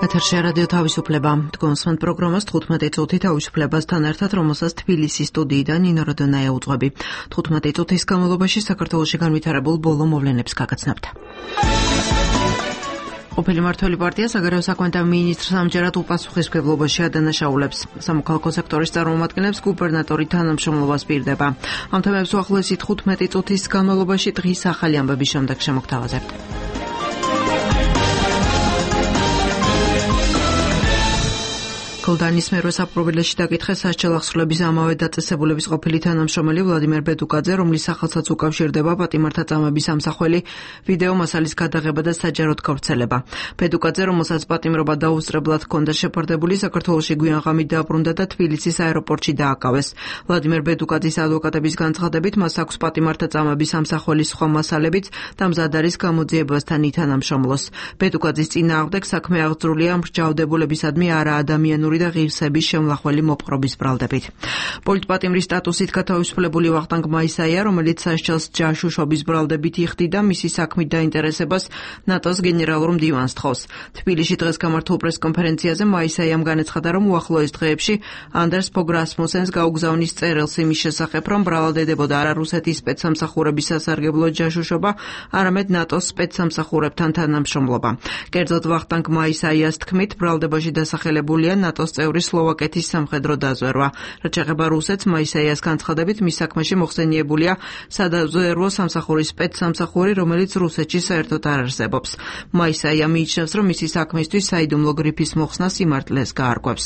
ეთერში რადიო თავისუფლება. დგომსმენ პროგრამას 15 წუთი თავისუფლებასთან ერთად, რომელსაც თბილისის სტუდიიდან ნინო როდონაია უძღვები. 15 წუთის განმავლობაში საქართველოში განვითარებულ ბოლო მოვლენებს გაგაცნობთ. ყოფილი მმართველი პარტია საგარეო საქმეთა მინისტრს ამჯერად უპასუხისმგებლობაში ადანაშაულებს. სამოქალაქო სექტორის წარმომადგენლებს გუბერნატორი თანამშრომლობას პირდება. ამ თემებს უახლოესი 15 წუთის განმავლობაში დღის ახალი ამბების შემდეგ შემოგთავაზებთ. გოლდანის მერვე საპყრობილეში დაკითხეს სასჯელ აღსრულების ამავე დაწესებულების ყოფილი თანამშრომელი ვლადიმერ ბედუკაძე, რომლის სახელსაც უკავშირდება პატიმართა წამების ამსახველი ვიდეო მასალის გადაღება და საჯაროდ გავრცელება. ბედუკაძე, რომელსაც პატიმრობა დაუსწრებლად ჰქონდა შეფარდებული, საქართველოში გვიანღამით დაბრუნდა და თბილისის აეროპორტში დააკავეს. ვლადიმერ ბედუკაძის ადვოკატების განცხადებით, მას აქვს პატიმართა წამების ამსახველის სხვა მასალებიც და მზად არის გამოძიებასთან ითანამშრომლოს. ბედუკაძის წინააღმდეგ საქმე აღძრულია მსჯავრდებულებისადმი არაადამიანური და ღირსების შემლახველი მოპყრობის ბრალდებით. პოლიტპატიმრის სტატუსით გათავისუფლებული ვახტანგ მაისაია, რომელიც სასჯელს ჯაშუშობის ბრალდებით იხდიდა, მისი საქმით დაინტერესებას ნატოს გენერალურ მდივანს თხოვს. თბილისში დღეს გამართულ პრესკონფერენციაზე მაისაიამ განაცხადა, რომ უახლოეს დღეებში ანდერს ფოგ რასმუსენს გაუგზავნის წერილს იმის შესახებ, რომ ბრალდებოდა არა რუსეთის სპეცსამსახურების სასარგებლო ჯაშუშობა, არამედ ნატოს სპეცსამსახურებთან თანამშრომლობა. კერძოდ ვახტანგ მაისაიას თქმით, ბრალდებაში დასახელებულია ნატოს წევრი სლოვაკეთის სამხედრო დაზვერვა. რაც შეეხება რუსეთს, მაისაიას განცხადებით, მის საქმეში მოხსენიებულია სადაზვერვო სამსახურის სპეცსამსახური, რომელიც რუსეთში საერთოდ არ არსებობს. მაისაია მიიჩნევს, რომ მისი საქმისთვის საიდუმლო გრიფის მოხსნა სიმართლეს გაარკვევს.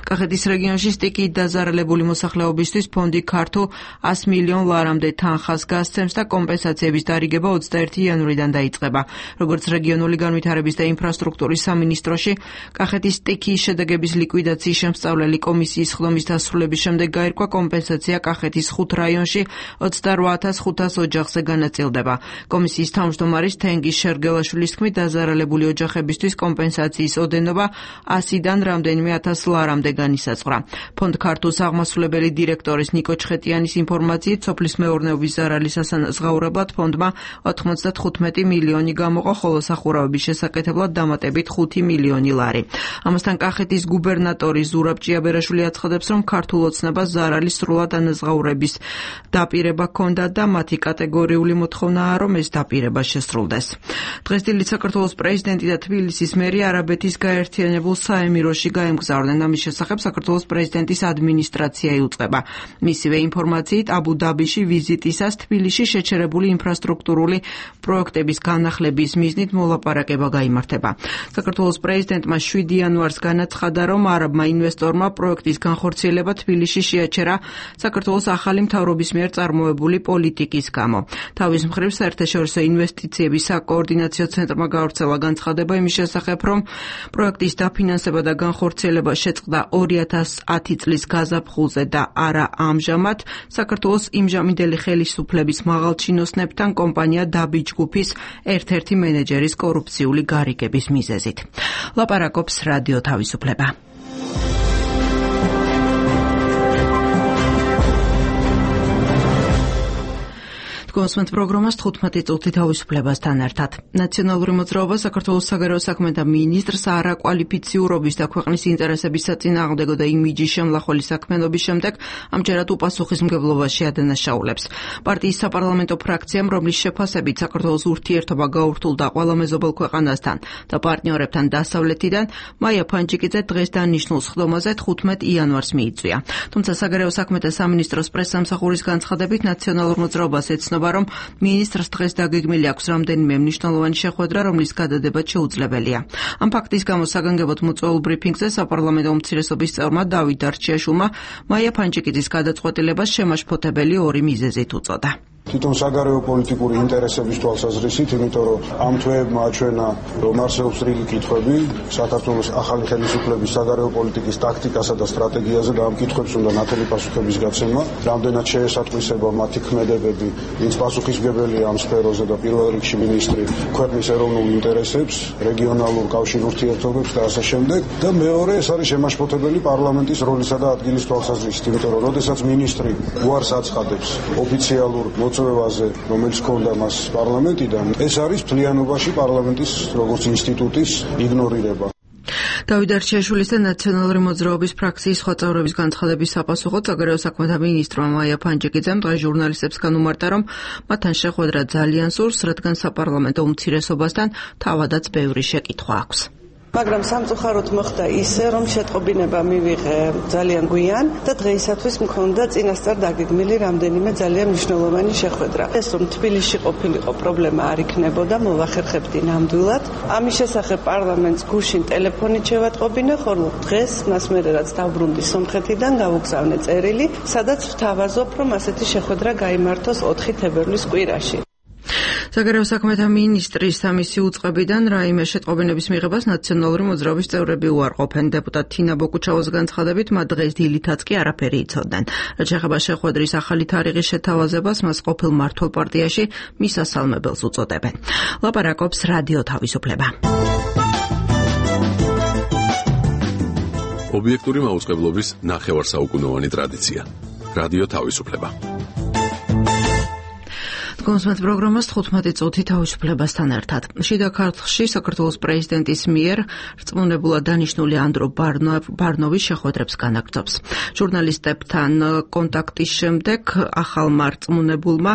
კახეთის რეგიონში სტიქიით დაზარალებული მოსახლეობისთვის ფონდი ქართულ 100 მილიონ ლარამდე თანხას გასცემს და კომპენსაციების დარიგება 21 იანვრიდან დაიწყება. როგორც რეგიონული განვითარების და ინფრასტრუქტურის სამინისტროში, კახეთის სტიქიის შედეგების ლიკვიდაციის შემსწავლელი კომისიის ხდომის დასრულების შემდეგ გაირკვა კომპენსაცია კახეთის 5 რაიონში 28,500 ოჯახზე განაწილდება. კომისიის თავმჯდომარის თენგის შერგელაშვილის თქმით, დაზარალებული ოჯახებისთვის კომპენსაციის ოდენობა 100-დან რამდენიმე 1000 ლარამდე განისაზღვრა. ფონდ ქართულ აღმასრულებელი დირექტორის ნიკო ჩხეტიანის ინფორმაციით, სოფლის მეურნეობის ზარალის ასანაზღაურებლად ფონდმა 95 მილიონი გამოყო, ხოლო სახურავების შესაკეთებლად დამატებით 5 მილიონი ლარი. ამასთან კახეთის გუბერნატორი ზურაბ ჭიაბერაშვილი აცხადებს, რომ ქართულ ოცნებას ზარალის სრულად ანაზღაურების დაპირება ჰქონდა და მათი კატეგორიული მოთხოვნაა, რომ ეს დაპირება შესრულდეს. დღესდღეობით საქართველოს პრეზიდენტი და თბილისის მერი არაბეთის გაერთიანებულ საემიროში გაემგზავრნენ. ამის შესახებ საქართველოს პრეზიდენტის ადმინისტრაცია იუწყება. მისივე ინფორმაციით, აბუ-დაბიში ვიზიტისას თბილისში შეჩერებული ინფრასტრუქტურული პროექტების განახლების მიზნით მოლაპარაკება გაიმართება. საქართველოს პრეზიდენტმა 7 იანვარს განაცხადა, რომ არაბმა ინვესტორმა პროექტის განხორციელება თბილისში შეაჩერა საქართველოს ახალი მთავრობის მიერ წარმოებული პოლიტიკის გამო. თავის მხრივ, საერთაშორისო ინვესტიციების საკოორდინაციო ცენტრმა გავრცელა განცხადება იმის შესახებ, რომ პროექტის დაფინანსება და განხორციელება შეწყდა 2010 წლის გაზაფხულზე და არა ამჟამად. საქართველოს იმჟამინდელი ხელისუფლების მაღალჩინოსნებთან კომპანია დაბი ჯგუფის ერთ-ერთი მენეჯერის კორუფციული გარიგების მიზეზით. ლაპარაკობს რადიო თავისუფლება. დგომსმენ პროგრამას 15 წუთი თავისუფლებასთან ერთად. ნაციონალური მოძრაობა საქართველოს საგარეო საქმეთა მინისტრს არაკვალიფიციურობის და ქვეყნის ინტერესების საწინააღმდეგო და იმიჯის შემლახველი საქმიანობის შემდეგ ამჯერად უპასუხისმგებლობაში ადანაშაულებს. პარტიის საპარლამენტო ფრაქციამ, რომლის შეფასებით საქართველოს ურთიერთობა გაურთულდა ყველა მეზობელ ქვეყანასთან და პარტნიორებთან დასავლეთიდან, მაია ფანჯიკიძე დღეს დანიშნულ სხდომაზე 15 იანვარს მიიწვია. თუმცა საგარეო საქმეთა სამინისტროს პრესსამსახურის განცხადებით, ნაციონალურ მოძრაობას ეცნობა, რომ მინისტრს დღეს დაგეგმილი აქვს რამდენიმე მნიშვნელოვანი შეხვედრა, რომლის გადადება შეუძლებელია. ამ ფაქტის გამო საგანგებოდ მოწვეულ ბრიფინგზე საპარლამენტო უმცირესობის წევრმა დავით დარჩიაშვილმა მაია ფანჯიკიძის გადაწყვეტილებას შემაშფოთებელი ორი მიზეზით უწოდა. თვითონ საგარეო პოლიტიკური ინტერესების თვალსაზრისით, იმიტომ რომ ამ თვეებმა აჩვენა, რომ არსებობს რიგი კითხვები საქართველოს ახალი ხელისუფლების საგარეო პოლიტიკის ტაქტიკასა და სტრატეგიაზე და ამ კითხვებს უნდა ნათელი პასუხების გაცემა. რამდენად შეესატყვისება მათი ქმედებები, ვინც პასუხისმგებელია ამ სფეროზე და პირველ რიგში მინისტრი ქვეყნის ეროვნულ ინტერესებს, რეგიონალურ კავშირ ურთიერთობებს და ასე შემდეგ. და მეორე, ეს არის შემაშფოთებელი პარლამენტის როლისა და ადგილის თვალსაზრისით, იმიტომ რომ როდესაც მინისტრი უარს აცხადებს ოფიციალურ მოწვევაზე, რომელიც ჰქონდა მას პარლამენტიდან, ეს არის მთლიანობაში პარლამენტის როგორც ინსტიტუტის იგნორირება. დავით არჩიაშვილის და ნაციონალური მოძრაობის ფრაქციის სხვა წევრების განცხადების საპასუხოდ საგარეო საქმეთა მინისტრმა მაია ფანჯიკიძემ დღეს ჟურნალისტებს განუმარტა, რომ მათთან შეხვედრა ძალიან სურს, რადგან საპარლამენტო უმცირესობასთან თავადაც ბევრი შეკითხვა აქვს. მაგრამ სამწუხაროდ მოხდა ისე, რომ შეტყობინება მივიღე ძალიან გვიან და დღეისათვის მქონდა წინასწარ დაგეგმილი რამდენიმე ძალიან მნიშვნელოვანი შეხვედრა. ეს რომ თბილისში ყოფილიყო პრობლემა არ იქნებოდა, მოვახერხებდი ნამდვილად. ამის შესახებ პარლამენტს გუშინ ტელეფონით შევატყობინე, ხოლო დღეს მას მერე რაც დავბრუნდი სომხეთიდან გავუგზავნე წერილი, სადაც ვთავაზობ, რომ ასეთი შეხვედრა გაიმართოს 4 თებერვლის კვირაში. საგარეო საქმეთა მინისტრის სამისი უწყებიდან რაიმე შეტყობინების მიღებას ნაციონალური მოძრაობის წევრები უარყოფენ. დეპუტატ თინა ბოკუჩავოს განცხადებით, მათ დღეს დილითაც კი არაფერი იცოდნენ. რაც შეეხება შეხვედრის ახალი თარიღის შეთავაზებას, მას ყოფილ მმართველ პარტიაში მისასალმებელს უწოდებენ. ლაპარაკობს რადიო თავისუფლება. ობიექტური მაუწყებლობის ნახევარსაუკუნოვანი ტრადიცია. რადიო თავისუფლება. კონსმეთ პროგრამას 15 წუთი თავისუფლებასთან ერთად. შიდა ქართლში საქართველოს პრეზიდენტის მიერ რწმუნებულად დანიშნული ანდრო ბარნოვის შეხვედრებს განაგრძობს. ჟურნალისტებთან კონტაქტის შემდეგ ახალმა რწმუნებულმა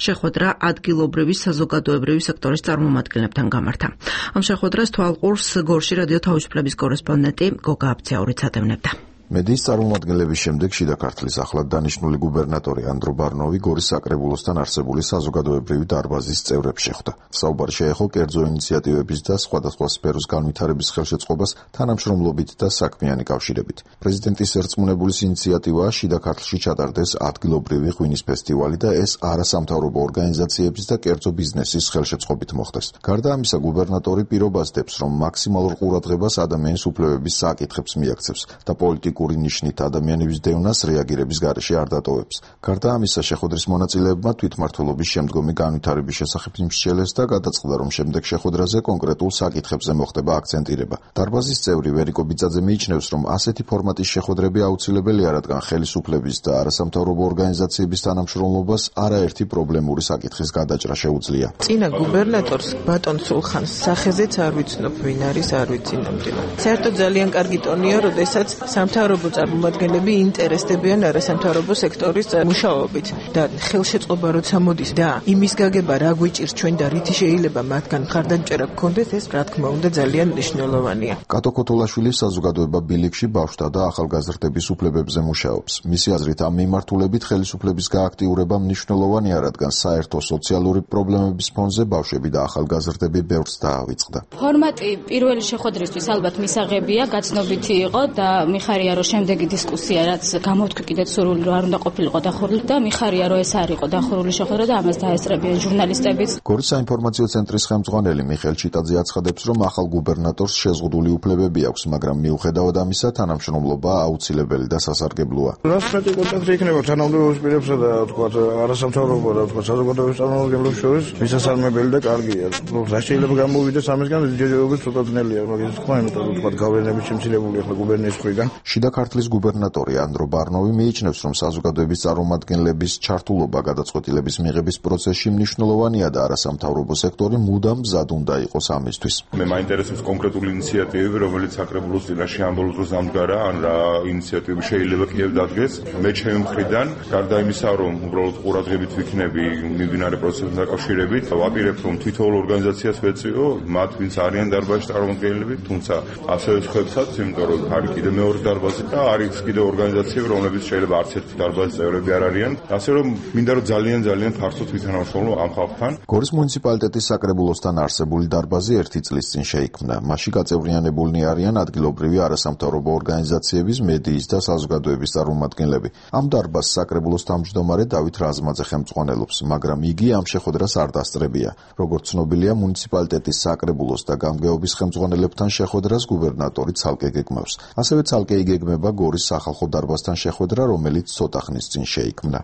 შეხვედრა ადგილობრივი საზოგადოებრივი სექტორის წარმომადგენლებთან გამართა. ამ შეხვედრას თვალყურს გორში რადიო თავისუფლების კორესპონდენტი გოგა აბცაურიც ატევნებდა. მედიის წარმომადგენლების შემდეგ შიდა ქართლის ახლად დანიშნული გუბერნატორი ანდრო ბარნოვი გორის საკრებულოსთან არსებული საზოგადოებრივი დარბაზის წევრებს შეხვდა. საუბარი შეეხო კერძო ინიციატივების და სხვადასხვა სფეროს განვითარების ხელშეწყობას თანამშრომლობით და საქმიანი კავშირებით. პრეზიდენტის ერწმუნებულის ინიციატივაა შიდა ქართლში ჩატარდეს ადგილობრივი ღვინის ფესტივალი და ეს არასამთავრობო ორგანიზაციების და კერძო ბიზნესის ხელშეწყობით მოხდეს. გარდა ამისა, გუბერნატორი პირობას დებს, რომ მაქსიმალურ ყურადღებას ადამიანის უფლებების საკითხებს მიაქცევს და პოლიტიკურ ნიშნით ადამიანების დევნას რეაგირების გარეშე არ დატოვებს. გარდა ამისა, შეხვედრის მონაწილეებმა თვითმმართველობის შემდგომი განვითარების შესახებ იმსჯელეს და გადაწყდა, რომ შემდეგ შეხვედრაზე კონკრეტულ საკითხებზე მოხდება აქცენტირება. დარბაზის წევრი ვერიკო ბიძაძე მიიჩნევს, რომ ასეთი ფორმატის შეხვედრები აუცილებელია, რადგან ხელისუფლების და არასამთავრობო ორგანიზაციების თანამშრომლობას არაერთი პრობლემური საკითხის გადაჭრა შეუძლია. წინა გუბერნატორს ბატონ სულხანს სახეზეც არ ვიცნობ, ვინ არის, არ ვიცი ნამდვილად. საერთოდ ძალიან კარგი ტონია, როდესაც სამთავრობო წარმომადგენლები ინტერესდებიან არასამთავრობო სექტორის მუშაობით და ხელშეწყობა როცა მოდის და იმის გაგება რა გვიჭირს ჩვენ და რითი შეიძლება მათგან მხარდამჭერა გქონდეს, ეს რა თქმა უნდა ძალიან მნიშვნელოვანია. კატო ქოთოლაშვილი საზოგადოება ბილიქში ბავშვთა და ახალგაზრდების უფლებებზე მუშაობს. მისი აზრით, ამ მიმართულებით ხელისუფლების გააქტიურება მნიშვნელოვანია, რადგან საერთო სოციალური პრობლემების ფონზე ბავშვები და ახალგაზრდები ბევრს დაავიწყდა. ფორმატი პირველი შეხვედრისთვის ალბათ მისაღებია, გაცნობითი იყო და მიხარია, რომ შემდეგი დისკუსია, რაც გამოთქვი კიდეც სურვილი, რომ არ უნდა ყოფილიყო დახურული და მიხარია, რომ ეს არ იყო დახურული შეხვედრა და ამას დაესწრებიან ჟურნალისტებიც. გორის საინფორმაციო ცენტრის ხელმძღვანელი მიხეილ ჩიტაძე აცხადებს, რომ ახალ გუბერნატორს შეზღუდული უფლებები აქვს, მაგრამ მიუხედავად ამისა, თანამშრომლობა აუცილებელი და სასარგებლოა. რაც მეტი კონტაქტი იქნება თანამდებობის პირებსა და თქვათ არასამთავრობო და თქვათ საზოგადოების წარმომადგენლებს შორის მისასალმებელი და კარგია. რა შეიძლება გამოვიდეს ამისგან, ჯერჯერობით ცოტა ძნელია, მაგრამ თქვა, იმიტომ რომ თქვათ გავლენები შემცირებული ახლა გუბერნიის მხრიდან. შიდა ქართლის გუბერნატორი ანდრო ბარნოვი მიიჩნევს, რომ საზოგადოების წარმომადგენლების ჩართულობა გადაწყვეტილების მიღების პროცესში მნიშვნელოვანია და არასამთავრობო სექტორი მუდამ მზად უნდა იყოს ამისთვის. მე მაინტერესებს კონკრეტული ინიციატივები, რომელიც საკრებულოს წინაშე ამ ბოლოს დროს დამდგარა, ან რა ინიციატივები შეიძლება კიდევ დადგეს. მე ჩემი მხრიდან, გარდა იმისა, რომ უბრალოდ ყურადღებით ვიქნები მიმდინარე პროცესთან დაკავშირებით, ვაპირებ, რომ თითოეულ ორგანიზაციას ვეწვიო, მათ ვინც არიან დარბაზის წარმომადგენლები, თუმცა ასევე სხვებსაც, იმიტომ რომ არის კიდევ მეორე დარბაზი და არის კიდევ ორგანიზაციები, რომლებიც შეიძლება არც ერთი დარბაზის წევრები არ არიან. ასე რომ მინდა რომ ძალიან ფართოდ ვითანამშრომლო ამ ხალხთან. გორის მუნიციპალიტეტის საკრებულოსთან არსებული დარბაზი 1 წლის წინ შეიქმნა. მასში გაწევრიანებულნი არიან ადგილობრივი არასამთავრობო ორგანიზაციების, მედიის და საზოგადოების წარმომადგენლები. ამ დარბაზს საკრებულოს თავმჯდომარე დავით რაზმაძე ხელმძღვანელობს, მაგრამ იგი ამ შეხვედრას არ დასწრებია. როგორც ცნობილია, მუნიციპალიტეტის საკრებულოს და გამგეობის ხელმძღვანელებთან შეხვედრას გუბერნატორი ცალკე გეგმავს. ასევე ცალკე იგეგმება გორის სახალხო დარბაზთან შეხვედრა, რომელიც ცოტა ხნის წინ შეიქმნა.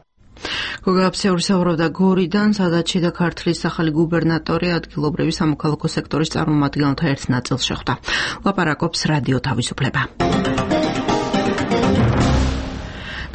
გოგა აბცაური საუბრობდა გორიდან, სადაც შიდა ქართლის ახალი გუბერნატორი ადგილობრივი სამოქალაქო სექტორის წარმომადგენელთა ერთ ნაწილს შეხვდა. ლაპარაკობს რადიო თავისუფლება.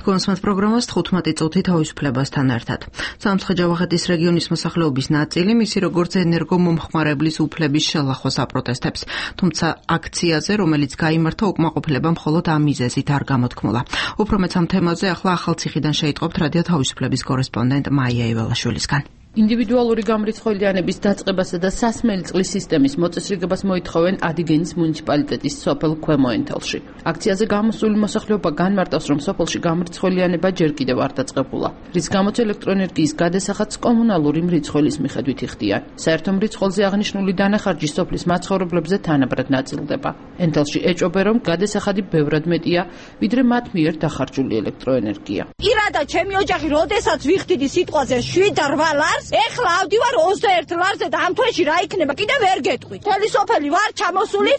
თქვენს პროგრამას 15 წუთი თავისუფლებასთან ერთად. სამცხე-ჯავახეთის რეგიონის მოსახლეობის ნაწილი მისი როგორც ენერგომომხმარებლის უფლების შელახვას აპროტესტებს. თუმცა აქციაზე, რომელიც გაიმართა უკმაყოფილება მხოლოდ ამ მიზეზით არ გამოთქმულა. უფრო მეც ამ თემაზე ახლა ახალციხიდან შეიტყობთ რადიო თავისუფლების კორესპონდენტ მაია იველაშვილისგან. ინდივიდუალური გამრიცხველიანების დაწყებასა და სასმელი წყლის სისტემის მოწესრიგებას მოითხოვენ ადიგენის მუნიციპალიტეტის სოფელ ქვემო-ენთელში. აქციაზე გამოსული მოსახლეობა განმარტავს, რომ სოფელში გამრიცხველიანება ჯერ კიდევ არ დაწყებულა, რის გამოც ელექტროენერგიის გადასახადს კომუნალური მრიცხველის მიხედვით იხდიან. საერთო მრიცხველზე აღნიშნული დანახარჯი სოფლის მაცხოვრებლებზე თანაბრად ნაწილდება. ენთელში ეჭობენ, რომ გადასახადი ბევრად მეტია, ვიდრე მათ მიერ დახარჯული ელექტროენერგია. ირადა ჩემი ოჯახი, როდესაც ვიხდიდი სიტყვაზე 7-8 ლარს, ეხლა ავდივარ 21 ლარზე და ამ თვეში რა იქნება, კიდე ვერ გეტყვით. მთელი სოფელი вар ჩამოსული.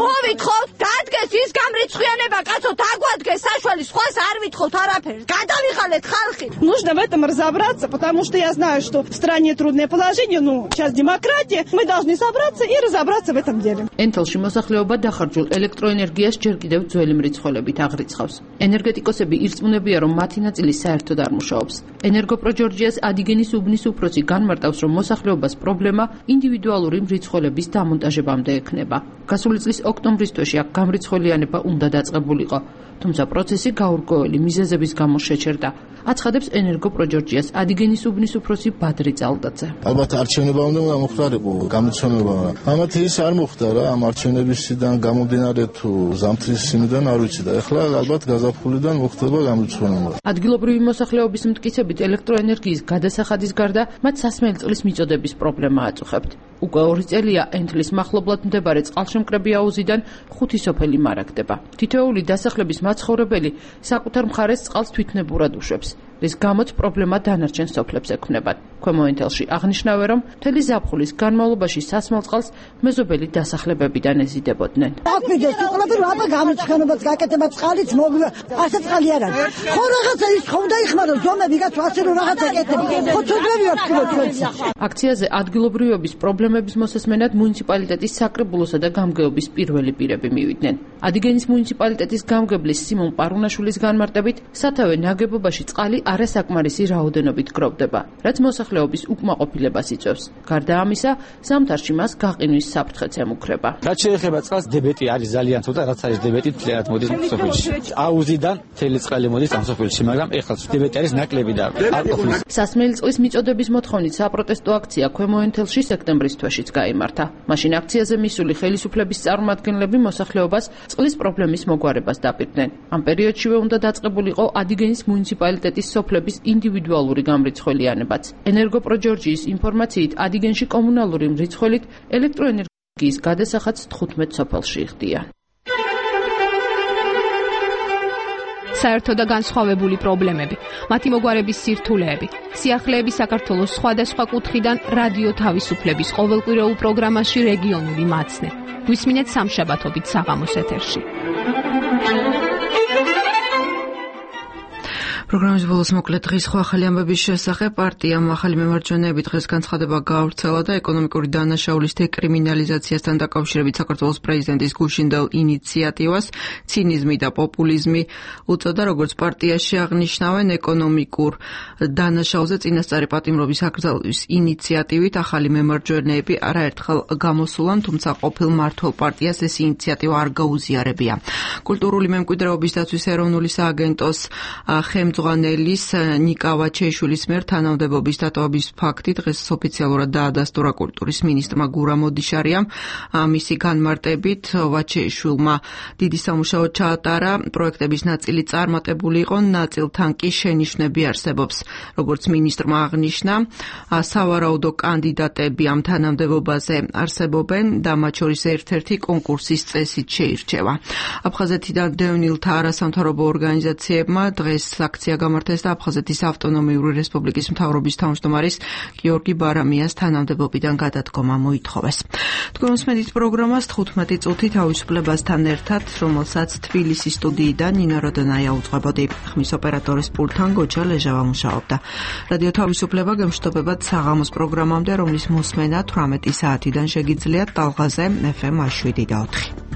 მოვითხოვთ, დადგეს ის გამრიცხველიანება, кацо, დაგვადგეს საშველი, სხვას არ ვითხოვთ არაფერს. გადავიღალეთ ხალხი. Нужно в этом разобраться, потому что я знаю, что в стране трудное положение, сейчас демократия, мы должны собраться и разобраться в этом деле. ენთელში მოსახლეობა დახარჯულ ელექტროენერგიას ჯერ კიდევ ძველი მრიცხველებით აღრიცხავს. ენერგეტიკოსები ირწმუნებიან, რომ მათი ნაწილი საერთოდ არ მუშაობს. ენერგოპროჯორჯიას ადიგენის უბნის უფროსი განმარტავს, რომ მოსახლეობას პრობლემა ინდივიდუალური მრიცხველების დამონტაჟებამდე ექნება. გასული წლის ოქტომბრის თვეში აქ გამრიცხველიანება უნდა დაწყებულიყო, თუმცა პროცესი გაურკვეველი მიზეზების გამო შეჩერდა. აცხადებს ენერგოპროჯორჯიას ადიგენის უბნის უფროსი ბადრი ძალდაძე. ალბათ არჩევნებამდე უნდა მოხდარიყო გამოცონება. ამათ ის არ მოხდა რა, ამ არჩევნებისგან გამომდინარე თუ ზამთრის სიმიდან არ ვიცი და ეხლა ალბათ გაზაფხულიდან მოხდება გამოცონება. ადგილობრივი მოსახლეობის მტკიცებით ელექტროენერგიის გადასახადის გარდა მათ სასმელი წყლის მიწოდების პრობლემა აწუხებთ. უკვე 2 წელია ენთლის მახლობლად მდებარე წყალშემკრები აუზიდან 5 სოფელი მარაგდება. თითოეული დასახლების მაცხოვრებელი საკუთარ მხარეს წყალს თვითნებურად უშვებს, რის გამოც პრობლემა დანარჩენ სოფლებს ექმნებათ. ქვემო-ენთელში აღნიშნავენ, რომ მთელი ზაფხულის განმავლობაში სასმელ წყალს მეზობელი დასახლებებიდან ეზიდებოდნენ. აკმიდეს უყურებენ აბა გამრიცხველობას გაკეთება წყალიც მოგვა, ასე წყალი არ არის. ხო რაღაცა ის ხომ დაიხმარო ზომები გაც ასე რომ რაღაცა ეკეთებ. ხო ცოდვები აქვს თქვენს. აქციაზე ადგილობრივების პრობლემების მოსასმენად მუნიციპალიტეტის საკრებულოსა და გამგეობის პირველი პირები მივიდნენ. ადიგენის მუნიციპალიტეტის გამგებლის სიმონ პარუნაშვილის განმარტებით, სათავე ნაგებობაში წყალი არასაკმარისი რაოდენობით გროვდება, რაც მოსახლეობის უკმაყოფილებას იწვევს. გარდა ამისა, ზამთარში მას გაყინვის საფრთხეც ემუქრება. რაც შეეხება წყალს, დებეტი არის ძალიან ცოტა, რაც არის დებეტი მთლიანად მოდის სოფელში. აუზიდან მთელი წყალი მოდის ამ სოფელში, მაგრამ ეხლა დებეტი არის ნაკლები და არ ყოფილის. სასმელი წყლის მიწოდების მოთხოვნით საპროტესტო აქცია ქვემო-ენთელში სექტემბრის თვეშიც გაიმართა. მაშინ აქციაზე მისული ხელისუფლების წარმომადგენლები მოსახლეობას წყლის პრობლემის მოგვარებას დაპირდნენ. ამ პერიოდშივე უნდა დაწყებულიყო ადიგენის მუნიციპალიტეტის სოფლების ინდივიდუალური გამრიცხველიანებაც. ენერგოპროჯორჯიის ინფორმაციით, ადიგენში კომუნალური მრიცხველით ელექტროენერგიის გადასახადს 15 სოფელში იხდიან. საერთო და განსხვავებული პრობლემები, მათი მოგვარების სირთულეები, სიახლეები საქართველოს სხვადასხვა კუთხიდან რადიო თავისუფლების ყოველკვირეულ პროგრამაში რეგიონული მაცნე. გვისმინეთ სამშაბათობით საღამოს ეთერში. პროგრამის ბოლოს მოკლედ დღის სხვა ახალი ამბების შესახებ. პარტიამ ახალი მემარჯვენეები დღეს განცხადება გაავრცელა და ეკონომიკური დანაშაულის დეკრიმინალიზაციასთან დაკავშირებით საქართველოს პრეზიდენტის გუშინდელ ინიციატივას ცინიზმი და პოპულიზმი უწოდა. როგორც პარტიაში აღნიშნავენ, ეკონომიკურ დანაშაულზე წინასწარი პატიმრობის აკრძალვის ინიციატივით ახალი მემარჯვენეები არაერთხელ გამოსულან, თუმცა ყოფილ მმართველ პარტიას ეს ინიციატივა არ გაუზიარებია. კულტურული მემკვიდრეობის დაცვის ეროვნული სააგენტოს ხელმძღვანელის ნიკა ვაჩეიშვილის მიერ თანამდებობის დატოვების ფაქტი დღეს ოფიციალურად დაადასტურა კულტურის მინისტრმა გურამ ოდიშარიამ. მისი განმარტებით ვაჩეიშვილმა დიდი სამუშაო ჩაატარა, პროექტების ნაწილი წარმატებული იყო, ნაწილთან კი შენიშვნები არსებობს. როგორც მინისტრმა აღნიშნა, სავარაუდო კანდიდატები ამ თანამდებობაზე არსებობენ და მათ შორის ერთ-ერთი კონკურსის წესით შეირჩევა. აფხაზეთიდან დევნილთა არასამთავრობო ორგანიზაციებმა დღეს აქცია გამართეს და აფხაზეთის ავტონომიური რესპუბლიკის მთავრობის თავმჯდომარის გიორგი ბარამიას თანამდებობიდან გადადგომა მოითხოვეს. თქვენ უსმენთ პროგრამას 15 წუთი თავისუფლებასთან ერთად, რომელსაც თბილისის სტუდიიდან ნინო როდონაია უძღვებოდი. ხმის ოპერატორის პულტთან გოჩა ლეჟავა მუშაობდა. რადიო თავისუფლება გემშვიდობებად საღამოს პროგრამამდე, რომლის მოსმენა 18 საათიდან შეგიძლიათ ტალღაზე FM 7 და 4.